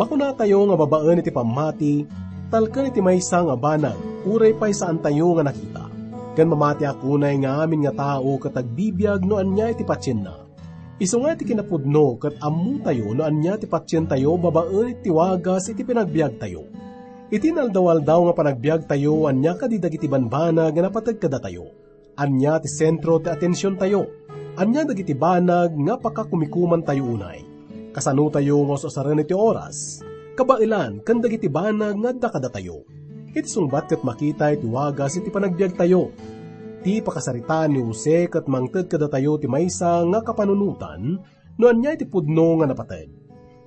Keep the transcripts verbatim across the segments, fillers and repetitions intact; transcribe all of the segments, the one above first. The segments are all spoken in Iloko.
Kunatayo nga babaen iti pammati, talken iti maysa nga banag, uray pay saantayo nga nakita. Ken mamatiak unay nga amin nga tao ket agbibiag no ania iti patienna. Isu nga iti kinapudno ket ammotayo no ania ti patientayo babaen iti wagas iti panagbiagtayo. Iti inaldaw-aldaw nga panagbiagtayo, ania kadi dagiti banbanag nga napateg kadatayo? Ania ti sentro ti atensiontayo? Ania dagiti banag nga pakakumikumantayo unay? Kasanotayo nga us-usaren iti oras, kabaelan ken dagiti banag nga adda kadatayo? Iti sungbat ket makita iti wagas iti panagbiagtayo. Ti pakasaritaan ni Jose ket mangted kadatayo ti maysa nga kapanunotan no ania iti pudno nga napateg.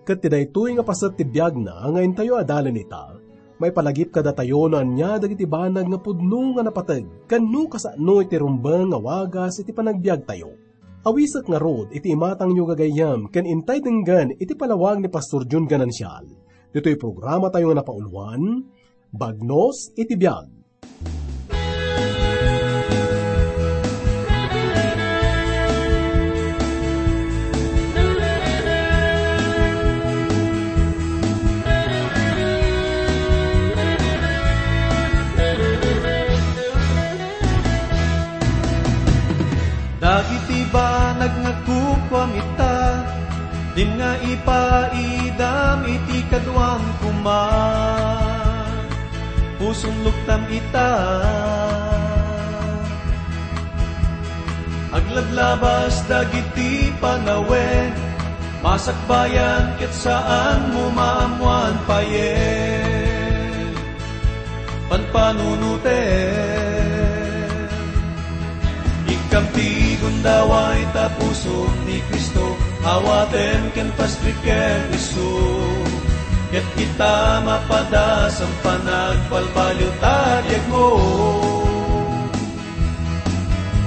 Ket ti daytoy nga paset ti biagna nga intayo adalen ita, maipalagip kadatayo no ania dagiti banag nga pudno nga napateg ken no kasano iti rumbeng nga wagas iti panagbiagtayo. Awisek ngarud iti imatangyo gagayyem ken intay denggen iti palawag ni Pastor Jun Ganancial. Ditoy programatayo nga napauluan, Bagnos iti Biag. Dagiti banag nga kukuam ita, dinga ipaidam iti kaduam koma. Pusom luktam ita. Aglablabas dagiti panawen, masakbayan ket saanmo maammoan payen. Panpanunotem. Ikkam ti gundaway ta pusom ni Cristo, awatem ken pastrek ken isu. Ket ita mapadas a panagbalbaliw ta biagmo.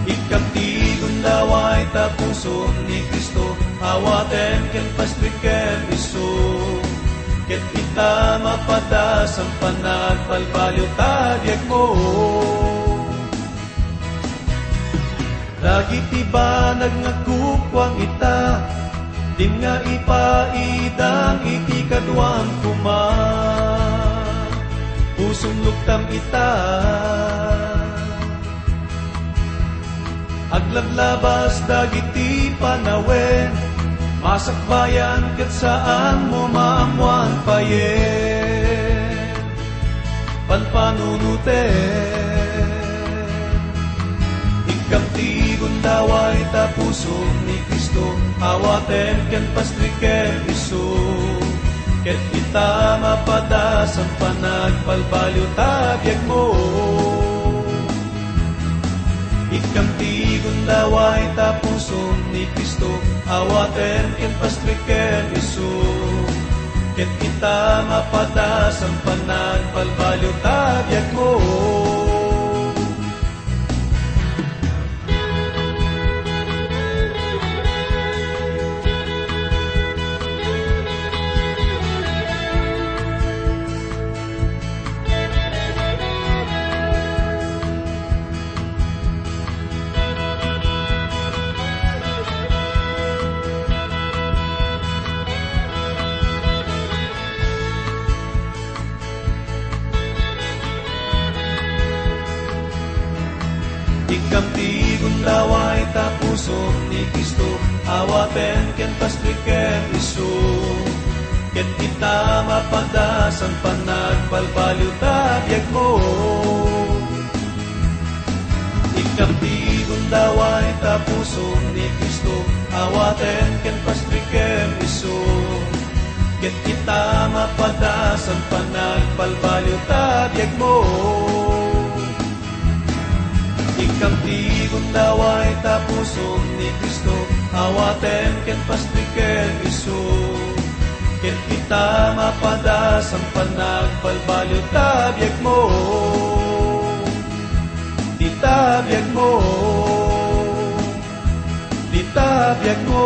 Ikkam ti gundaway ta pusom ni Cristo, awatem ken pastrek ken isu. Ket ita mapadas a panagbalbaliw ta biagmo. Dagiti banag nga kukuam ita, dinga ipaidam iti kaduam koma. Pusom luktam ita. Aglablabas dagiti panawen, masakbayan ket saanmo maammoan payen. Panpanunotem. Ikkam ti gundaway ta pusom ni Cristo, awatem ken pastrek ken isu. Ket ita mapadas a panagbalbaliw ta biagmo. Ikkam ti gundaway ta pusom ni Cristo, awatem ken pastrek ken isu. Ket ita mapadas a panagbalbaliw ta biagmo. Ikkam ti gundaway ta pusom ni Cristo, awatem ken pastrek ken isu. Ket ita mapadas a panagbalbaliw ta biagmo. Ikkam ti gundaway ta pusom ni Cristo, awatem ken pastrek ken isu. Ket ita mapadas a panagbalbaliw ta biagmo. Ikkam ti gundaway ta pusom ni Cristo, awatem ken pastrek ken isu. Ket ita mapadas a panagbalbaliw ta biagmo. Dita biagmo. Dita biagmo.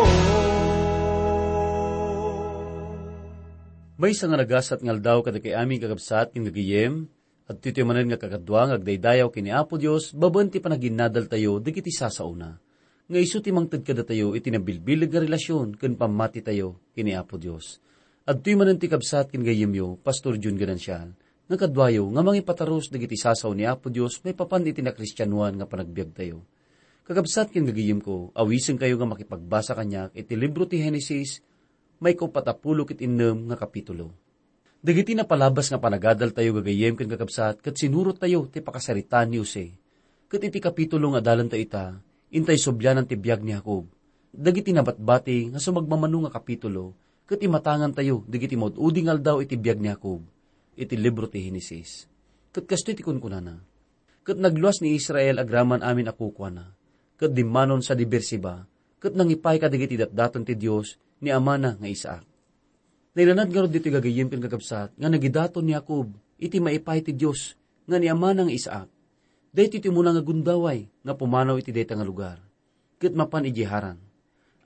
Maysa nga nagasat nga aldaw kadagiti amin kakabsat ken gagayyem, adtoy manen nga kakadua nga agdaydayaw ken ni Apo Dios babaen ti panaginnadaltayo dagiti sasaona, nga isu ti mangted kadatayo iti nabilbileg nga relasion ken pammatitayo ken ni Apo Dios. Adtoy manen ti kabsat ken gayyemyo, Pastor Jun Ganancial, nga kaduayo nga mangipatarus dagiti sasao ni Apo Dios maipapan iti nakristianoan nga panagbiagtayo. Kakabsat ken gagayyemko, awisenkayo nga makipagbasa kaniak iti libro ti Genesis, maikaupat a pulo ket innem nga kapitulo. Dagiti napalabas nga panagadaltayo gagayyem ken kakabsat ket sinurottayo ti pakasaritaan ni Jose. Ket iti kapitulo nga adalentayo ita, intay sublianan ti biag ni Jacob. Dagiti nabatbati nga sumagmamano nga kapitulo ket imatangantayo dagiti maud-udi nga aldaw iti biag ni Jacob iti libro ti Genesis. Ket kastoy ti kunkunana, "Ket nagluas ni Israel agraman amin a kukuana, ket dimmanon sadi Beersheba, ket nangipay kadagiti datdaton ti Dios ni amana nga Isaac." Nailanad ngarud ditoy gagayyem ken kakabsat nga nagidaton ni Jacob iti maipay ti Dios nga ni amana nga Isaac. Daytoy ti umuna nga gundaway nga pumanaw iti dayta nga lugar, ket mapan idiay Haran.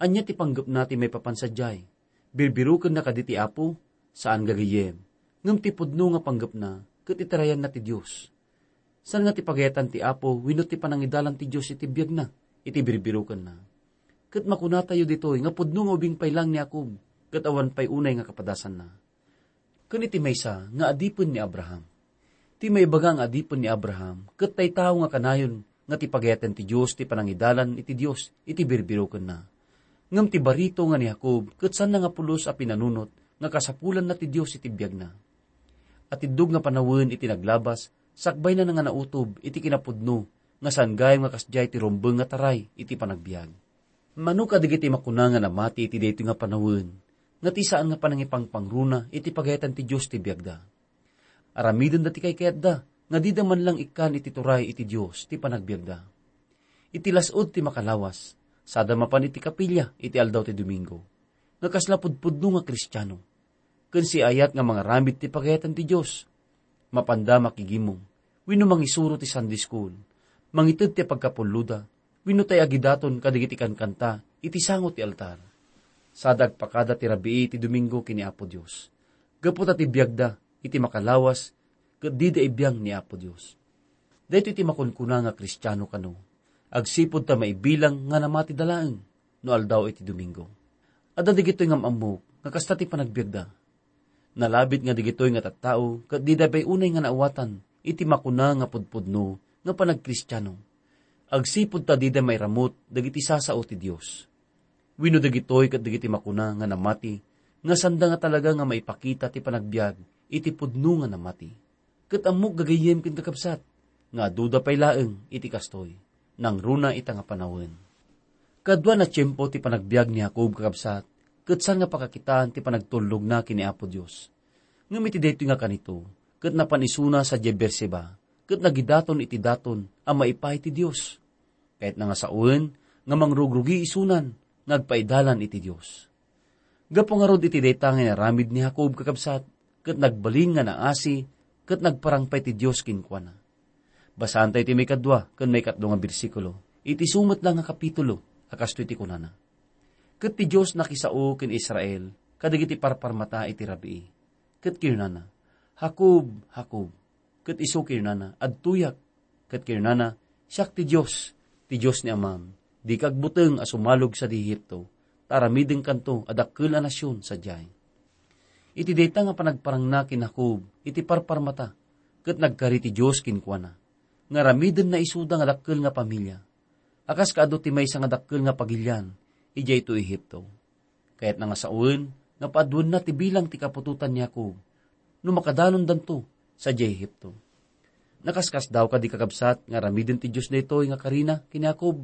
Ania ti panggepna ti maipapan sadiay? Birbirokenna kadi ti Apo? Saan gagayyem. Ngem ti pudno nga panggepna ket itarayanna ti Dios. Saan nga ti pagayatan ti Apo wenno ti panangidalan ti Dios iti biagna, iti birbirokenna. Ket makunatayo ditoy nga pudno nga ubing pay laeng ni Jacob, ket awan pay unay nga kapadasanna. Ken iti maysa nga adipen ni Abraham. Ti maibaga nga adipen ni Abraham, ket tay tao nga kanayon nga ti pagayatan ti Dios ti panangidalan iti Dios iti birbirokenna. Ngem ti barito nga ni Jacob ket saanna nga pulos a pinanunot nga kasapulanna ti Dios iti biagna. Atiddog nga panawen iti naglabas, sakbayna nga nautob iti kinapudno nga saan gayam nga kasdiay ti rumbeng nga taray iti panagbiag. Mano kadagiti makuna nga namati iti daytoy nga panawen, nga ti saan nga panangipangpangruna iti pagayatan ti Dios ti biagda. Aramidenda ti kaykayatda nga dida man lang ikkan iti turay iti Dios ti panagbiagda. Iti las-ud ti makalawas, sada mapan iti kapilya iti aldaw ti Domingo, nga kasla pudpudno nga Kristiano, ken siayat nga mangaramid ti pagayatan ti Dios. Mapanda makigimong, wenno mangisuro ti Sunday school, mangited ti pagkapulloda, wenno tay agidaton kadagiti kankanta iti sango ti altar. Sada agpakada ti rabii ti Domingo ken ni Apo Dios, gapu ta ti biagda iti makalawas ket dida ibiang ni Apo Dios. Daytoy ti makunkuna nga Kristiano kano, agsipud ta maibilang nga namatida laeng no aldaw iti Domingo. Adda dagitoy nga am-ammok nga kasta ti panagbiagda. Nalabit nga dagitoy nga tattao ket dida pay unay nga naawatan iti makuna nga pudpudno nga panagkristiano, agsipud ta dida mairamut dagiti sasao ti Dios. Wenno dagitoy ket dagiti makuna nga namati nga sanda nga talaga nga maipakita ti panagbiag iti pudno nga namati. Ket ammok gagayyem ken kakabsat, nga aduda pay laeng iti kastoy, nangruna ita nga panawen. Kaduana tiempo ti panagbiag ni Jacob, kakabsat, ket saan nga pakakitaan ti panagtullogna ken ni Apo Dios. Ngem iti daytoy nga kanito, ket napan isuna sadiay Beersheba, ket nagidaton iti daton a maipay ti Dios. Kayatna nga sawen nga mangrugrugi isunan nga agpaidalan iti Dios. Gapu ngarud iti dayta nga inaramid ni Jacob, kakabsat, ket nagbalin nga naasi, ket nagparang pay ti Dios kenkuana. Basaantayo ti maikadua ken maikatlo nga bersikulo iti sumet la nga kapitulo, a kastoy ti kunana, "Ket ti Dios nakisao ken Israel kadagiti parparmata iti rabii, ket kinunana, 'Jacob, Jacob.' Ket isu kinunana, 'Adtoyak.' Ket kinunana, 'Siak ti Dios, ti Dios ni amam. Dika agbuteng a sumalog sadi Egipto, ta aramidenkanto a dakkel a nasion sadiay.'" Iti dayta nga panagparangna ken Jacob iti parparmata, ket nagkari ti Dios kenkuana, nga aramidenna isuda nga dakkel nga pamilia, a kas kaadu ti maysa nga dakkel nga pagilian idiay to Egipto. Kayatna nga sawen nga paaduenna ti bilang ti kaputotan ni Jacob no makadanondanto sadiay Egipto. Nakaskasdaaw kadi, kakabsat, nga aramiden ti Dios daytoy nga karina ken ni Jacob?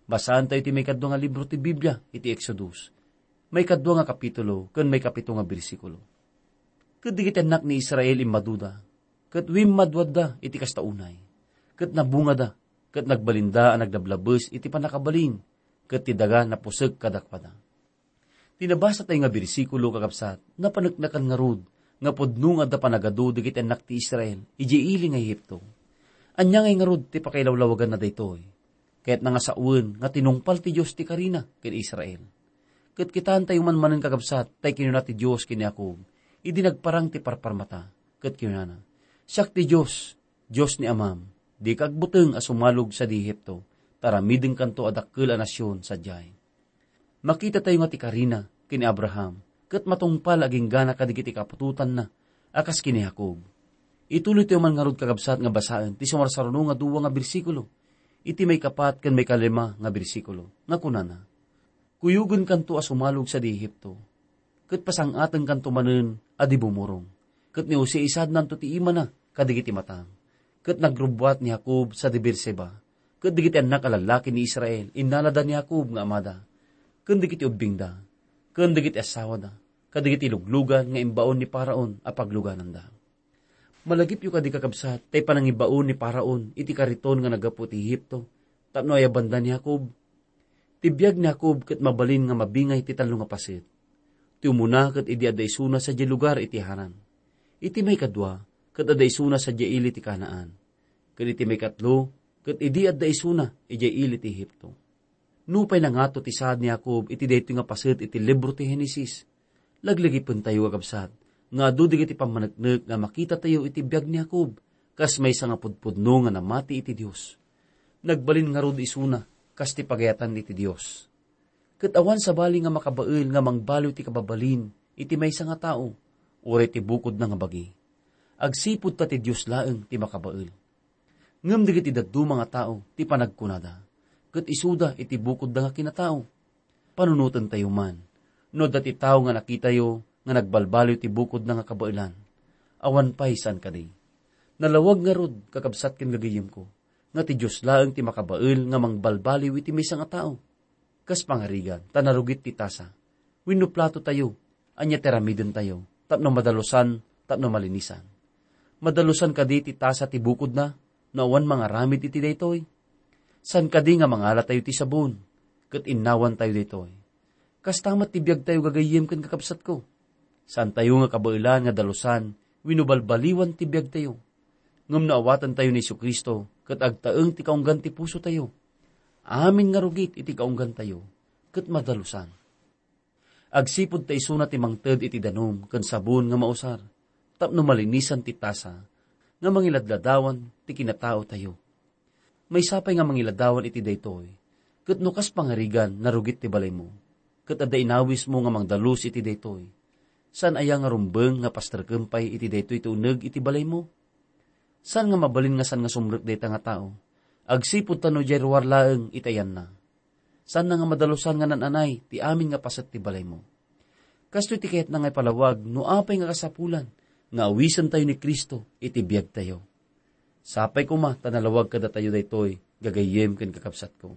Basaantayo ti maikadua nga libro ti Biblia iti Exodus, maikadua nga kapitulo ken maikapito nga bersikulo. Ket dagiti annak ni Israel immaduda, ket wimmaduadda iti kasta unay, ket nabungada, ket nagbalinda a naglablabes iti pannakabalin, ket ti daga napusek kadakuada. Ti nabasatayo nga bersikulo, kakabsat, napaneknekan ngarud nga pudno nga adda panagadu dagiti annak ti Israel idiay ili nga Egipto. Ania ngay ngarud ti pakailawlawaganna daytoy? Kayatna nga sawen nga tinungpal ti Dios ti karina ken Israel. Ket kitaentayo man manen, kakabsat, tay kinuna ti Dios ken ni Jacob idi nagparang ti parparmata, ket kinunana, "Siak ti Dios, Dios ni amam. Dika agbuteng a sumalog sadi Egipto, ta aramidenkanto a dakkel a nasion sadiay." Makitatayo nga ti karina ken ni Abraham ket matungpal agingga kadagiti kaputotanna a kas ken ni Jacob. Ituloytayo man ngarud, kakabsat, nga basaen ti sumarsaruno nga dua nga bersikulo, iti maikapat ken maikalima nga bersikulo, nga kunana, "Kuyogenkanto a sumalog sadi Egipto, ket pasang-atenkanto manen a di bumurong." Ket ni Jose isaadnanto ti imana kadagiti matang. Ket nagrubbuat ni Jacob sadi Beerseba, ket dagiti annak a lallaki ni Israel, innalada ni Jacob nga amada, ken dagiti ubbingda, ken dagiti asawada, kadagiti luglugan nga imbaon ni Faraon a paglugananda. Malagipyo kadi, kakabsat, tay panangibaon ni Faraon iti kariton nga naggapu ti Egipto tapno ayabanda ni Jacob? Ti biag ni Jacob ket mabalin nga mabingay ti tallo nga paset. Ti umuna ket idi adda isuna sadiay lugar iti Haran. Iti maikadua ket adda isuna sadiay ili ti Canaan. Ket iti maikatlo ket idi adda isuna idiay ili ti Egipto. Nupay nangato ti saad ni Jacob iti daytoy nga paset iti libro ti Genesis, laglagipentayo, kakabsat, nga adu dagiti pammaneknek nga makitatayo iti biag ni Jacob, kas maysa nga pudpudno nga namati iti Dios. Nagbalin ngarud isuna kas ti pagayatan iti Dios. Ket awan sabali nga makabael nga mangbaliw ti kababalin iti maysa nga tao, uray ti bukodna nga bagi. Agsipud ta ti Dios laeng ti makabael. Ngem dagiti dadduma nga tao ti panagkunada, ket isuda iti bukodda nga kinatao. Panunotentayo man, no adda ti tao nga nakitayo nga nagbalbaliw ti bukodna nga kabaelan, awan pay saan kadi. Nalawag ngarud, kakabsat ken gagayyemko, nga ti Dios laeng ti makabael nga mangbalbaliw iti maysa nga tao. Kas pangarigan, ta narugit ti tasa wenno platotayo, ania ti aramidentayo tapno madalusan, tapno malinisan? Madalusan kadi ti tasa ti bukodna no awan mangaramid iti daytoy? Saan kadi nga mangalatayo ti sabon ket innawantayo daytoy? Kasta met ti biagtayo, gagayyem ken kakabsatko. Saantayo nga kabaelan nga dalusan wenno balbaliwan ti biagtayo. Ngem no awatentayo ni Jesu-Cristo ket agtaeng ti kaunggan ti pusotayo, amin nga rugit iti kaunggantayo ket madalusan. Agsipud ta isuna ti mangted iti danum ken sabon nga mausar tapno malinisan ti tasa nga mangiladladawan ti kinataotayo. Maysa pay nga mangiladawan iti daytoy, ket no kas pangarigan, narugit ti balaymo, ket adda inawismo nga mangdalus iti daytoy, saan aya nga rumbeng nga pasterkem pay iti daytoy ti uneg iti balaymo? Saan nga mabalin nga saan nga sumrek dayta nga tao, agsipud ta no diay ruar laeng iti ayanna, saanna nga madalusan nga naan-anay ti amin nga paset ti balaymo. Kastoy ti kayatna nga ipalawag no apay nga kasapulan nga awisentayo ni Cristo iti biagtayo. Sapay koma ta nalawag kadatayo daytoy, gagayyem ken kakabsatko.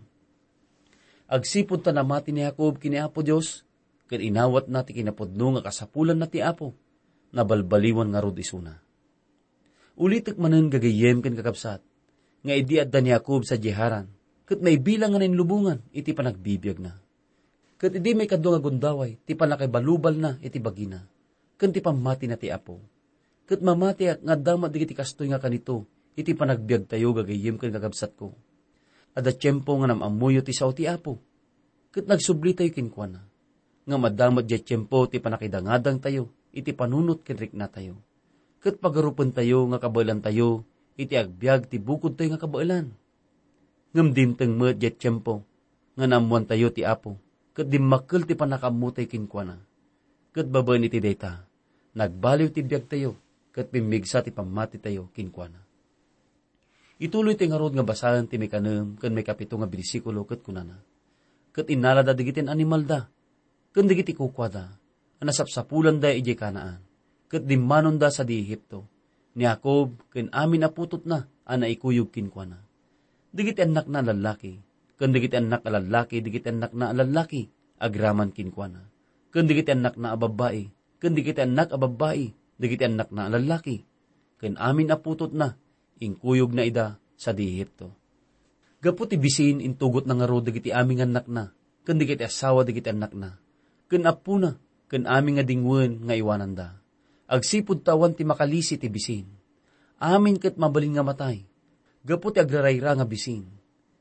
Agsipud ta namati ni Jacob ken ni Apo Dios, ket inawatna ti kinapudno nga kasapulanna ti Apo, nabalbaliwan ngarud isuna. Ulitek manen, gagayyem ken kakabsat, nga idi adda ni Jacob sadiay Haran, ket maibilang nga nainlubongan iti panagbibiagna. Ket idi maikadua nga gundaway ti pannakaibalubalna iti bagina, ken ti pammatina ti Apo. Ket mamatiak nga adda met dagiti kastoy nga kanito iti panagbiagtayo, gagayyem ken kakabsatko. Adda tiempo nga nam-ammoyo ti sao ti Apo, ket nagsublitayo kenkuana. Ngem adda met diay tiempo ti pannakaidangadangtayo iti panunot ken riknatayo, ket pagarupentayo nga kabaelantayo iti agbiag ti bukodtayo nga kabaelan. Ngem dimteng met diay tiempo nga naammoantayo ti Apo, ket dimmakkel ti pannakaammotayo kenkuana. Ket babaen iti dayta, nagbaliw ti biagtayo, ket pimmigsa ti pammatitayo kenkuana. Ituloytayo ngarud nga basaen ti maikanem ken maikapito nga bersikulo ket kunana, "Ket innalada dagiti animalda ken dagiti kukuada a nasapsapulanda idiay Canaan, ket dimmanonda sadi Egipto, ni Jacob ken amin a putotna a naikuyog kenkuana. Dagiti annakna a lallaki, ken dagiti annak a lallaki dagiti annakna a lallaki agraman kenkuana, ken dagiti annakna a babbai, ken dagiti annak a babbai dagiti annakna a lallaki, ken amin a putotna, inkuyogna ida sadi Egipto." Gapu ti bisin, intugotna ngarud dagiti amin nga annakna, ken dagiti asawa dagiti annakna, ken appona, ken amin nga dingwen nga iwananda. Agsipud ta awan ti makalisi ti bisin. Amin ket mabalin nga matay, gapu ti agrarayra nga bisin.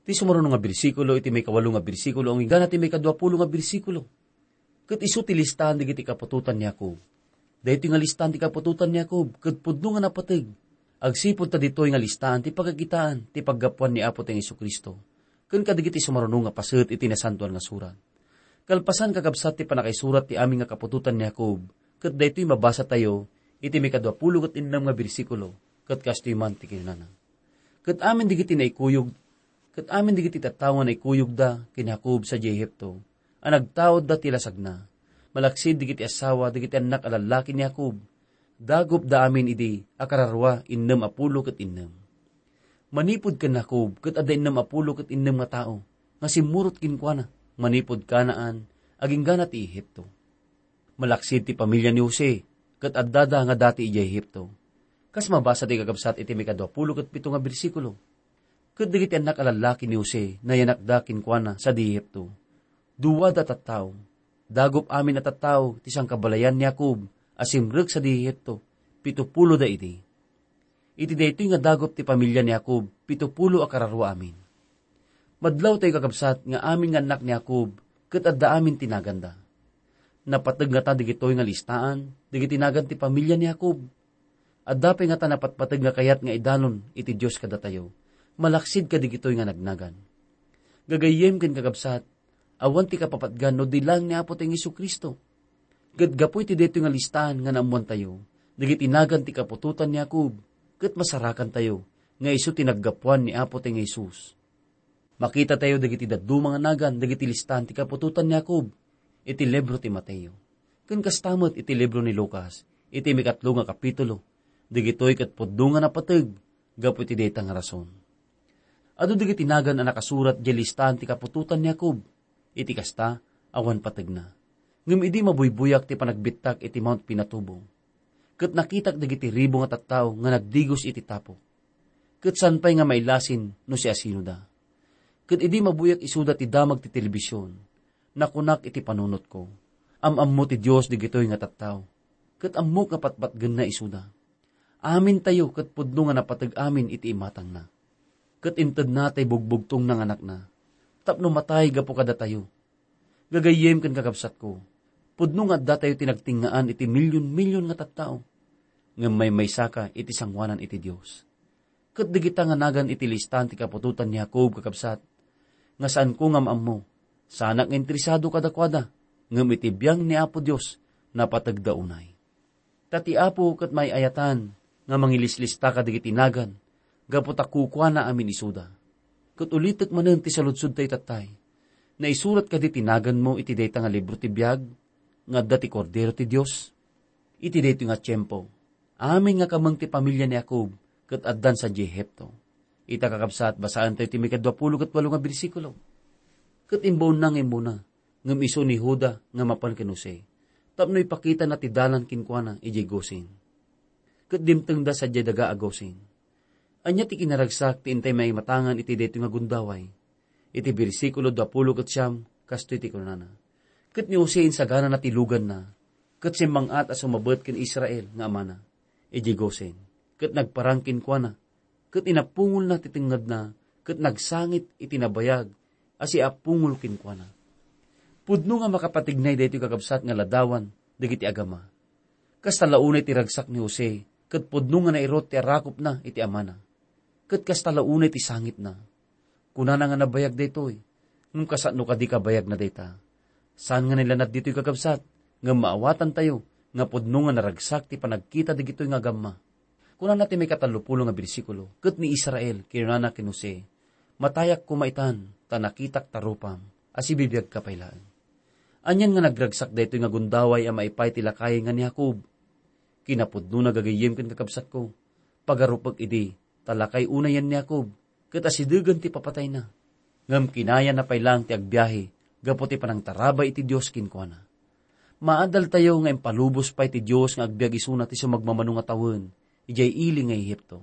Ti sumaruno nga bersikulo iti maikawalo nga bersikulo, inggana ti maikaduapulo nga bersikulo. Ket isu ti listahan dagiti kaputotan ni Jacob. Daytoy nga listahan ti kaputotan ni Jacob ket pudno nga napateg, agsipud ta ditoy nga listahan ti pagkakitaan ti paggapuan ni Apotayo Jesu-Cristo ken kadagiti sumaruno nga paset iti Nasantoan nga Surat. Kalpasan, kakabsat, ti pannakaisurat ti amin nga kaputotan ni Jacob, ket daytoy mabasatayo iti maikadua pulo ket innem nga bersikulo, ket kastoy man ti kinunana: Ket amin dagiti naikuyog, ket amin dagiti tattao nga naikuyogda ken ni Jacob sadiay Egipto, a nagtaudda ti lasagna, malaksid dagiti asawa dagiti annak a lallaki ni Jacob, dagupda amin idi a kararua innem a pulo ket innem. Manipud ken Jacob ket adda innem a pulo ket innem nga tao nga simmurot kenkuana, manipud Canaan, aginggana ti Egipto. Malaksid ti pamilia ni Jose, ket addada nga dati idiay Egipto. Kas mabasa ti kakabsat iti maikadua pulo ket pito nga bersikulo: Ket dagiti annak a lallaki ni Jose, nayanakda kenkuana sadi Egipto. Duada a tattao. Dagup amin a tattao ti sangkabalayan ni Jacob a simrek sadi Egipto, pito puloda idi. Iti daytoy nga dagup ti pamilia ni Jacob, pito pulo a kararua amin. Madlawtayo, kakabsat, nga amin nga annak ni Jacob ket adda amin ti naganda. Napateg ngata dagitoy nga listaan dagiti nagan ti pamilia ni Jacob? Adda pay ngata napatpateg nga kayat nga idanon iti Dios kadatayo, malaksid kadagitoy nga nagnagan? Gagayyem ken kakabsat, awan ti kapapatgan no di laeng ni Apotayo Jesu-Cristo. Ket gapu iti daytoy nga listaan nga naammoantayo, dagiti nagan ti kaputotan ni Jacob, ket masarakantayo nga isu ti naggapuan ni Apotayo Jesus. Makitatayo dagiti dadduma nga nagan dagiti listaan ti kaputotan ni Jacob iti libro ti Mateo, ken kasta met iti libro ni Lucas, iti maikatlo nga kapitulo. Dagitoy ket pudno nga napateg gapu iti dayta nga rason. Adu dagiti nagan a nakasurat idiay listaan ti kaputotan ni Jacob. Iti kasta, awan pategna. Ngem idi mabuybuyak ti panagbittak iti Mount Pinatubo, ket nakitak dagiti ribu nga tattao nga nagdigos iti tapok, ket saan pay nga mailasin no siasinoda. Ket idi mabuyak isuda ti damag ti telebision, nakunak iti panunotko, "Am-ammo ti Dios dagitoy nga tattao, ket ammok nga patpatgenna isuda. Amintayo ket pudno nga napateg amin iti imatangna. Ket intedna ti bugbugtongna nga anakna tapno matay gapu kadatayo." Gagayyem ken kakabsatko, pudno nga addatayo ti nagtengngaan iti milyon-milyon nga tattao, ngem maymaysaka iti sangoanan iti Dios. Ket dagita nga nagan iti listaan ti kaputotan ni Jacob, kakabsat, nga saanko nga maammo, saanak nga interesado kadakuada, ngem iti biang ni Apo Dios, napategda unay. Ta ti Apo ket maay-ayatan nga mangilislista kadagiti nagan, gapu ta kukuana amin isuda. Ket ulitek manen ti saludsodtayo tattay: Naisurat kadi ti naganmo iti dayta nga libro ti biag nga adda ti Kordero ti Dios? Iti daytoy nga tiempo, amin nga kameng ti pamilia ni Jacob ket addan sadiay Egipto. Ita, kakabsat, basaentayo ti maikadua pulo ket walo nga bersikulo. Ket imbaonna nga immuna, ngem isu ni Juda nga mapan ken Jose, tapno ipakitana ti dalan kenkuana idiay Gosen. Ket dimtengda sadiay daga a Gosen. Ania ti kinaragsak ti intay maimatangan iti daytoy nga gundaway? Iti bersikulo duapulo ket siam, kastoy ti kunana: Ket ni Jose insaganana ti luganna, ket simmang-at a sumabet ken Israel nga amana idiay Gosen, ket nagparang kenkuana, ket inapungolna ti tengngedna, ket nagsangit iti nabayag a siapungol kenkuana. Pudno nga makapategnay daytoy, kakabsat, nga ladawan dagiti agama. Kasta la unay ti ragsak ni Jose, ket pudno nga nairut ti arakupna iti amana. Ket kasta la unay ti sangitna. Kunana nga nabayag daytoy, ngem kasano kadi kabayagna dayta? Saan nga nailanad ditoy, kakabsat, ngem maawatantayo nga pudno nga naragsak ti panagkita dagitoy nga agamma. Kunana ti maikatallopulo nga bersikulo: Ket ni Israel kinunana ken Jose, "Matayak koma itan, ta nakitak ta rupam, a sibibiagka pay laeng." Anian nga nagragsak daytoy nga gundaway a maipay ti lakay nga ni Jacob? Kinapudnona, gagayyem ken kakabsatko, pagarupek idi ta lakay unayen ni Jacob, ket asidegen ti papatayna. Ngem kinayana pay laeng ti agbiahe gapu ti panangtarabay iti Dios kenkuana. Maadaltayo nga impalubos pay ti Dios nga agbiag isuna ti sumagmamano nga tawen idiay ili nga Egipto.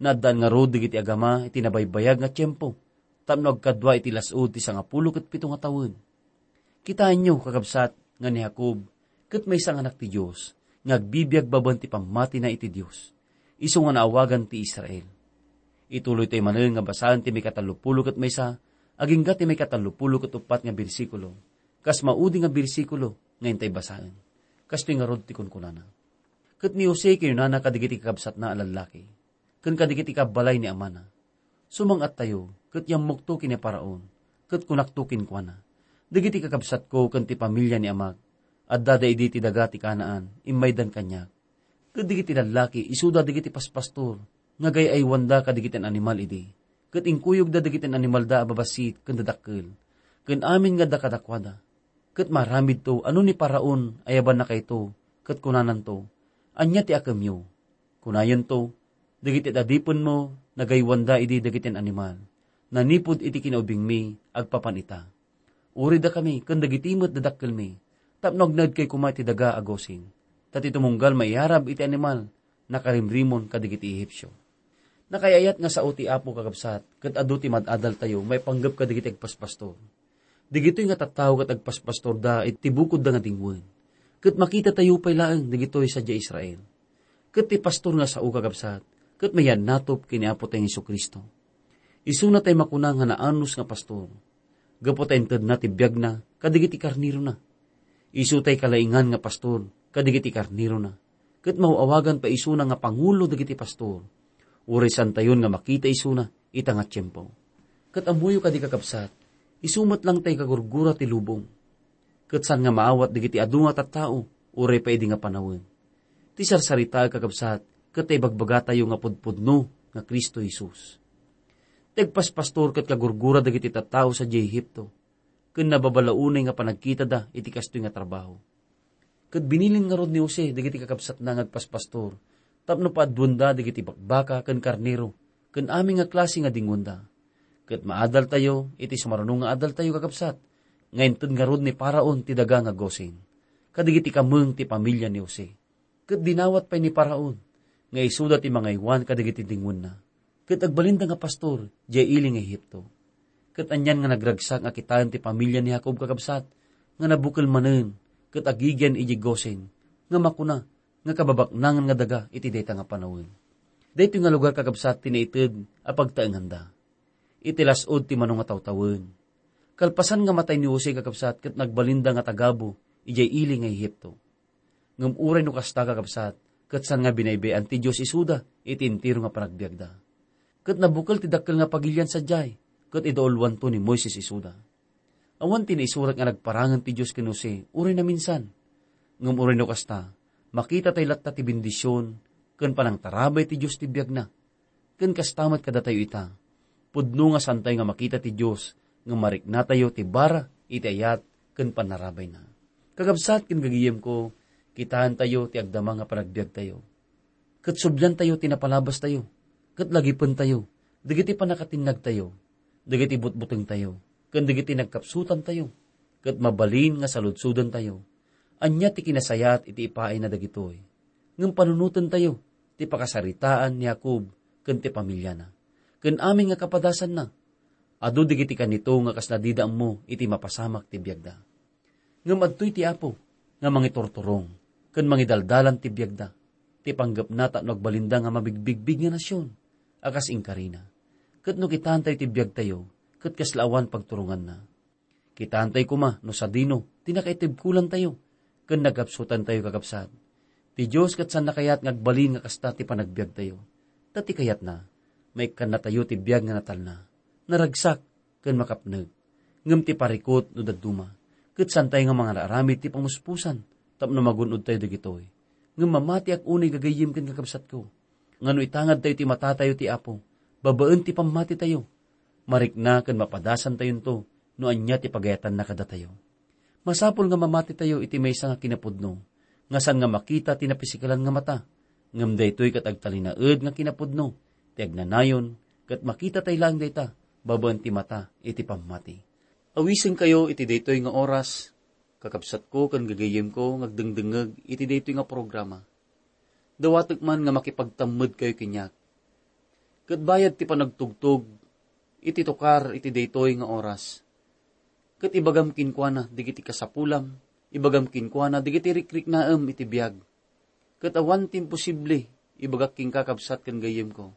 Naaddaan ngarud dagiti agama iti nabaybayag nga tiempo tapno agkadua iti las-ud ti sangapulo ket pito nga tawen. Kitaenyo, kakabsat, nga ni Jacob ket maysa nga anak ti Dios nga agbibiag babaen ti pammatina iti Dios, isu nga naawagan ti Israel. Ituloytayo manen nga basaen ti maikatallopulo ket maysa agingga ti maikatallopulo ket uppat nga bersikulo, kas maudi nga bersikulo nga intay basaen. Kastoy ngarud ti kunkunana: Ket ni Jose kinunana kadagiti kakabsatna a lallaki ken kadagiti kabbalay ni amana, "Sumang-attayo ket yammokto ken ni Faraon, ket kunakto kenkuana, Dagiti kakabsatko ken ti pamilia ni amak, adda da idi ti daga ti Canaan, immaydan kaniak. Ket dagiti lallaki, isuda dagiti paspastor, nga gay-aywanda kadagiti animal idi. Ket inkuyogda dagiti animalda a babassit ken dadakkel, ken amin nga adda kadakuada. Ket maaramidto a no ni Faraon ayabannakayto, ket kunananto, "Ania ti akemyo?" Kunayonto, "Dagiti adipenmo, nagaywanda idi dagiti animal. Nanipud iti kinaubingmi, agpapan ita. Uridakami ken dagiti met dadakkelmi, tapno agnaedkayo koma iti daga a Gosen. Ta ti tumunggal maiyarab iti animal, nakarimrimon kadagiti Ehipsio." Nakaay-ayat nga sao ti Apo, kakabsat, ket adu ti mad-adaltayo maipanggep kadagiti agpaspastor. Dagitoy nga tattao ket agpaspastorda iti bukodda nga dingwen. Ket makitatayo pay laeng dagitoy sadiay Israel. Ket ti pastor nga sao, kakabsat, ket mayannatop ken ni Apo tayo Jesu-Cristo. Isuna tay makuna nga naanus nga pastor, gapu ta intedna ti biagna kadagiti karnerona. Isu tay kalaingan nga pastor kadagiti karnerona, ket maaw-awagan pay isuna nga pangulo dagiti pastor. Uray saantayon nga makita isuna ita nga tiempo. Ket ammoyo kadi, kakabsat, isu met lang tay kagurgura ti lubong. Ket saan nga maawat dagiti adu nga tattao, uray pay idi nga panawen. Ti sarsaritaek, kakabsat, ket ta ibagbagatayo nga pudpudno nga Cristo Jesus. Ti agpaspastor ket kagurgura dagiti tattao sadiay Egipto, ken nababalaw unay nga panagkitada iti kastoy nga trabaho. Ket binilin ngarud ni Jose dagiti kakabsatna nga agpaspastor tapno paaduenda dagiti bakbaka ken karnero ken amin nga klase nga dingwenda. Ket maadaltayo iti sumaruno nga adaltayo, kakabsat, nga inted ngarud ni Faraon ti daga nga Gosen kadagiti kameng ti pamilia ni Jose. Ket dinawat pay ni Faraon nga isuda ti mangaywan kadagiti dingwenna, ket agbalinda nga pastor diay ili nga Egipto. Ket anian nga nagragsak nga kitaen ti pamilia ni Jacob, kakabsat, nga nabukel manen ket agigian idiay Gosen, nga makuna nga kababaknangan nga daga iti dayta nga panawen. Daytoy nga lugar, kakabsat, ti naited a pagtaenganda. Iti las-ud ti mano nga tawtawen. Kalpasan nga matay ni Jose, kakabsat, ket nagbalinda nga tagabu idiay ili nga Egipto. Ngem uray no kasta, kakabsat, ket saan nga binaybay-an ti Dios isuda iti entero nga panagbiagda. Ket nabukel ti dakkel nga pagilian sadiay, ket idaulwanto ni Moises isuda. Awan ti naisurat nga nagparangen ti Dios ken Jose uray naminsan. Ngem uray no kasta, makita tay latta ti bendision ken panangtarabay ti Dios ti biagna. Ken kasta met kadatayo ita. Pudno nga saantayo nga makita ti Dios, ngem mariknatayo ti bara iti ayat ken pannarabayna. Kakabsat ken gagayemko, kitaentayo ti agdama nga panagbiagtayo. Ket subliantayo ti napalabastayo, ket lagipentayo dagiti pannakatinnagtayo, dagiti butbutengtayo, ken dagiti nagkapsutantayo, ket mabalin nga saludsodentayo. Ania ti kinasayaat iti ipaayna dagitoy? Ngem panunotentayo ti pakasaritaan ni Jacob ken ti pamiliana, ken amin nga kapadasanna. Adu dagiti kanito nga kasla dida ammo iti mapasamak ti biagda. Ngem adtoy ti Apo nga mangiturturong ken mangidaldalan ti biagda, ti panggepna tapno agbalinda nga mabigbigbig nga nasion a kas inkarina. Ket no kitaentayo ti biagtayo, ket kasla awan pagturonganna. Kitaentayo koma no sadino ti nakaitibkolantayo ken nagkapsutantayo, kakabsat. Ti Dios ket saanna kayat nga agbalin nga kasta ti panagbiagtayo. Ta ti kayatna, maikkannatayo ti biag nga natalna, naragsak, ken makapnek. Ngem ti parikut no dadduma, ket saantayo nga mangararamid ti pamuspusan tapno magun-odtayo dagitoy. Ngem mamatiak unay, gagayyem ken kakabsatko, nga no itangadtayo ti matatayo ti Apo, babaen ti pammatitayo, marikna ken mapadasantayonto no ania ti pagayatanna kadatayo. Masapul nga mamatitayo iti maysa nga kinapudno, nga saan nga makita ti napisikalan nga mata, ngem daytoy ket agtalinaed nga kinapudno ti agnanayon, ket makitatay laeng dayta babaen ti mata iti pammati. Awisenkayo iti daytoy nga oras, kakabsatko ken gagayyemko nga agdengdengngeg iti daytoy nga programa. Dawatek man nga makipagtammedkayo kaniak. Ket bayad ti panagtugtog iti tukar iti daytoy nga oras. Ket ibagam kenkuana dagiti kasapulam, ibagam kenkuana dagiti rikriknaem iti biag. Ket awan ti imposible, ibagak kenka, kabsat ken gayyemko,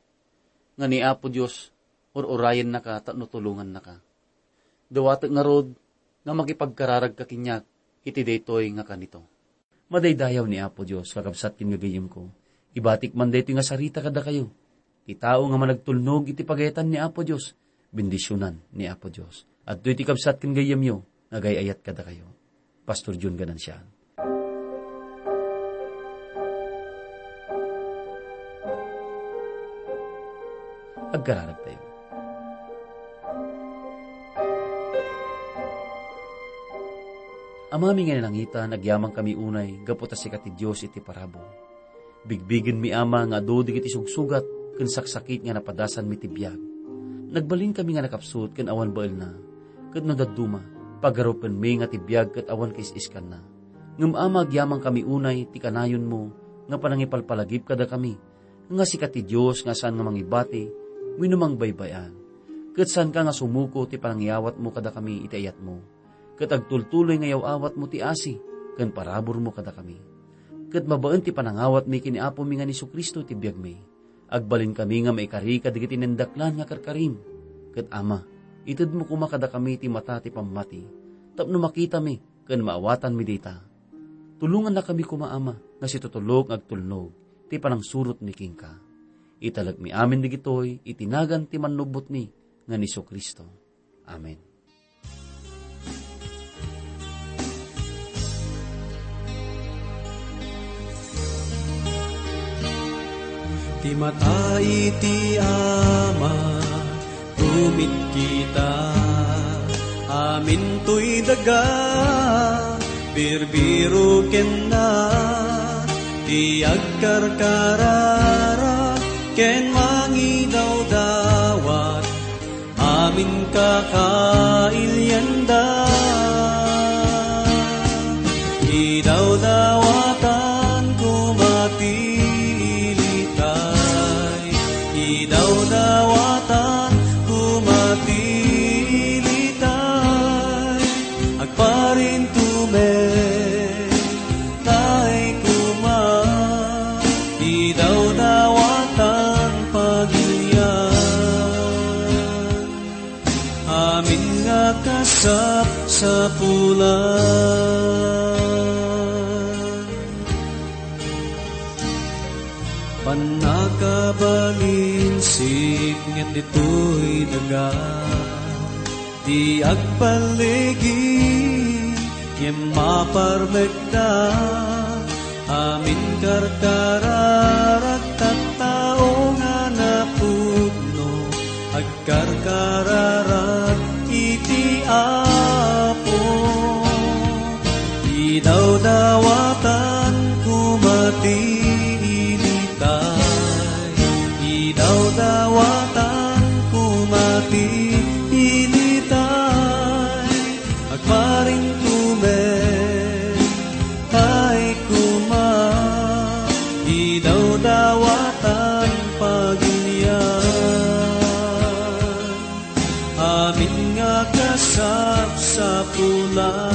nga ni Apo Dios ur-urayennaka tapno tulongannaka. Dawatek ngarud nga makipagkararagka kaniak iti daytoy nga kanito. Madaydayaw ni Apo Dios, kakabsat ken gagayyemko. Ibatik man daytoy nga sarita kadakayo. Ti tao nga managtulnog iti pagayatan ni Apo Dios, bendisionan ni Apo Dios. Adtoy ti kabsat ken gayyemyo, Agay-ayat kadakayo, Pastor Jun Ganancial. Agkararagtayo. Amami nga nanangitan, agyamankami unay gapu ta sika ti Dios iti parabur. Bigbigenmi, Ama, nga adu dagiti sugsugat ken saksakit nga napadasanmi ti biag. Nagbalinkami nga nakapsut ken awan baelna, ket no dadduma, pagarupenmi nga ti biag ket awan kais-iskanna. Ngem, Ama, agyamankami unay ti kanayonmo nga panangipalpalagip kadakami, nga sika ti Dios nga saan nga mangibati wenno mangbaybay-an, ket saanka nga sumuko ti panangiyawatmo kadakami iti ayatmo, ket agtultuloy nga yaw-awatmo ti asi ken paraburmo kadakami. Ket babaen ti panangawatmi ken ni Apomi nga ni Jesu-Cristo ti biagmi, agbalinkami nga maikari kadagiti nindaklan nga karkarim. Ket, Ama, itedmo koma kadakami ti mata ti pammati, tapno makitami ken maawatanmi dita. Tulongannakami koma, Ama, nga situtulok nga agtulnog ti panangsurotmi kenka. Italekmi amin dagitoy iti nagan ti Mannubbotmi nga ni Jesu-Cristo. Amen. Ti mata iti Ama, rumitkita, amintoy daga, birbiro kenna, ti agkarkararag ken mangidawdawat, amin kakailianda. Idawdawatan koma ti ilitay, idawdawatan koma ti ilitay, agparintumen tay koma, idawdawatan pagilian, amin nga kasapsapulan. Pannakabalin sipnget ditoy daga, ti agpalligi ngem maparmekda, amin karkararag tattao nga napudno, agkarkararag iti Apo. Idawdawatan koma ti ilitay, idawdawatan koma ti ilitay, agparintumen tay koma, idawdawatan pagilian, amin nga kasapsapulan.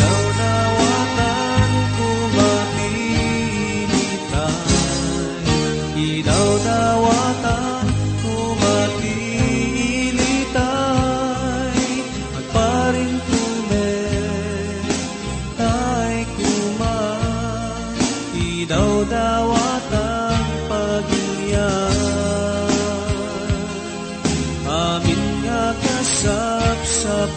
Idawdawatan koma ti ilitay, idawdawatan koma ti ilitay, agparintumen tay koma, idawdawatan pagilian, amin nga kasapsap